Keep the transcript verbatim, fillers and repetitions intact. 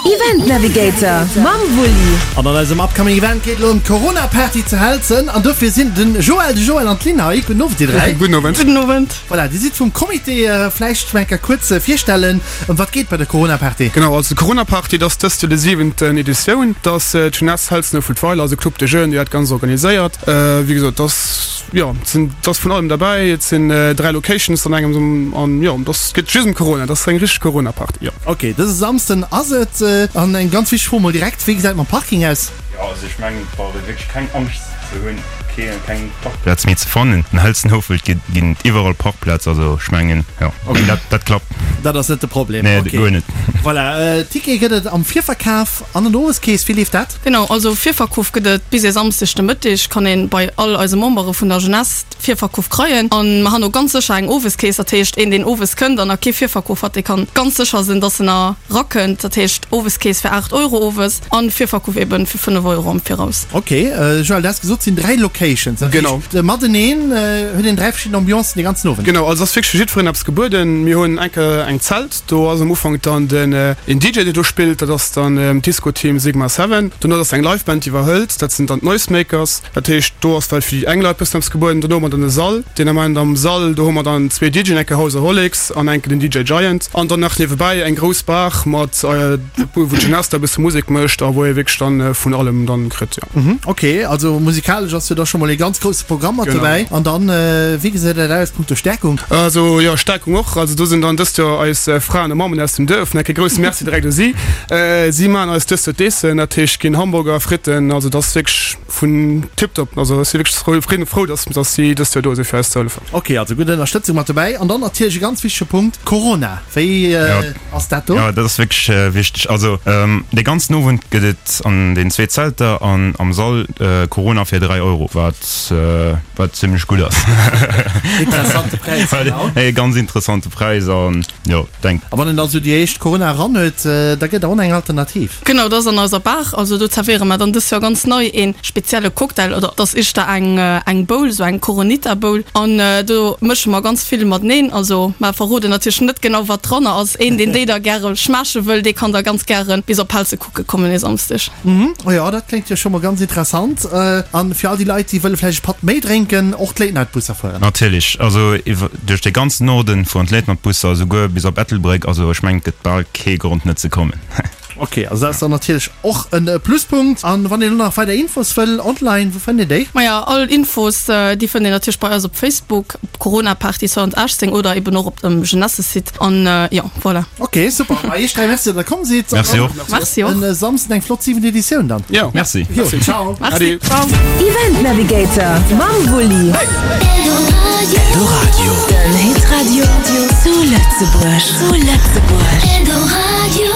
Event Navigator mam Wulli. An an eisem Upcoming Event geet elo ëm d'Corona Party zu Helzen an dofir sinn den Joël, de Joël an d'Lynn hei. Gudden Owend dir dräi. Gudden Owend. Gudden Owend. Voilà, dir sidd vum Comité. Vläicht eng Kéier kuerz virstellen, ëm wat geet bei der Corona Party? Genau, also d'Corona Party, dat ass dëst Joer déi siwenten Editioun. Dat ass d'Jeunesse Helzen-Oufelt-Weiler, also Club des Jeunes, déi dat Ganzt organiséiert. Wéi gesot, dat ass, jo, et sinn, et ass vun allem derbäi. Et sinn dräi Locations an engems an jo, dat geet just ëm Corona. Dat ass eng richteg Corona Party, jo. Ok, dëse Samsden ass et. An eng ganz wichteg Fro mol direkt, Wéi gesäit et mam Parking aus? Jo, also ech mengen et brauch ee wierklech keng Angscht ze hunn, kee keng Parkplaz méi ze fannen. An Helzen-Houfelt gi ginn et iwwerall Parkplaz, also ech mengen jo, dat dat klappt. Dat ass net de Problem, Nee, ok. guer net. Voilà, Tickete gëtt et am Virverkaf an an der Oweskeess. Wéi leeft dat? Genau, also Virverkaf gëtt et bis e Samsdeg de Mëtteg, kann een bei all eise Membere vun der Jeunesse Virverkaf kreien. An mer han och ganz sécher eng Oweskeess, dat heescht een deen owes kënnt an nach kee Virverkaf hat, dee kann ganz sécher sinn, dass en a rakënnt. Dat heescht Oweskeess fir aacht Euro owes an Virverkaf eben fir fënnef Euro am Viraus. Ok, Joël, du has gesot, et sinn dräi Locations, dat heescht mateneen huet een dräi verschidden Ambiancen dee ganzen Owend. Genau, also ass wierklech fir jiddwereen eppes gebueden. Mir hunn eng Kéier eng Zelt, do ass am Ufank dann den een D J deen do spillt, dat ass dann d'Disco-Team Sigma Seven. Dono ass eng Live-Band déi iwwerhëlt, dat sinn dann d'Noisemakers. Dat heescht do ass well fir déi eng Leit bëssen eppes gebueden. Dono hu mer dann e Sall, deen Ament am Sall, do hu mer dann zwee D Jën, eng Kéier Houseaholics an eng Kéier den D J Giant. An dann nach niewebäi eng grouss Bar mat, wou d'Jeunesse da e bësse Musek mécht a wou ee wierklech dann vun allem dann kritt, jo. Mhm, ok, also musikalesch ass jo da scho mol ee ganz grousse Programm mat dobäi. An dann, wéi gesäit dat aus punkto Stärkung? Also jo, Stärkung och. Also do sinn dann dëst Joer eis Fraen a Mammen aus dem Duerf. Nach e grousse Merci direkt u si. Si maachen eis dëst Joer d'Eessen, dat heescht ginn Hamburger, Fritten, also dat ass wierklech vun tiptop. Also ech si wierklech frou, frou, frou, dass, dass si dëst Joer do sinn fir eis ze hëllefen. Ok, also gutt Ënnerstëtzung mat dobäi. An dann natierlech e ganz wichtege Punkt, Corona. Wéi ass dat do? Jo, dat ass wierklech wichteg. Also dee ganzen Owend gëtt et an den zwee Zelter an am Sall Corona fir dräi Euro, wat wat zimmlech gutt ass. Interessante Präis, genau. E ganz interessante Präis an jo, denk. A wann een da sou déi éischt Corona eran huet, da gëtt et och eng Alternativ. Genau, dat ass an eiser Bar. Also do zerwéiere mer dann dës Joer ganz nei ee spezielle Cocktail, oder et ass éischter eng eng Bowl, sou eng Coronita Bowl. An do mësche mer ganz vill mateneen. Also mer verroden natierlech net genau wat dranner ass. Een deen déi da gäre schmaache wëll, dee kann da ganz gäre bis op Helse kucke kommen e Samsdeg. Mhm, oh jo, dat kléngt jo scho mol ganz interessant. An fir all déi Leit, déi wëlle vläicht e Patt méi drénken, och d'Late Night Busser fueren? Natierlech, also iwwer duerch de ganzen Norden fueren d'Late Night Busser, esouguer bis op Ettelbréck. Also ech mengen et gëtt bal kee Grond net ze kommen. Ok, also dat ass dann natierlech och e Pluspunkt. An wann een elo nach weider Infos wëll online, wou fënnt een déi? Maja, all Infos, déi fënnt een natierlech bei eis op Facebook, op Corona Party zweedausendachtzéng oder eben och op dem Jeunesse-Site. An jo, voilà. Ok, super. Ma iech dräi Merci, datt der komm sidd. Merci och. Merci och. En Samsden eng flott siwent Editioun dann. Jo. Merci. Jo, ciao. Merci. Ciao. Event Navigator mam Wulli. Eldoradio. Den Hitradio zu Lëtzebuerg. Zu Lëtzebuerg. Eldoradio.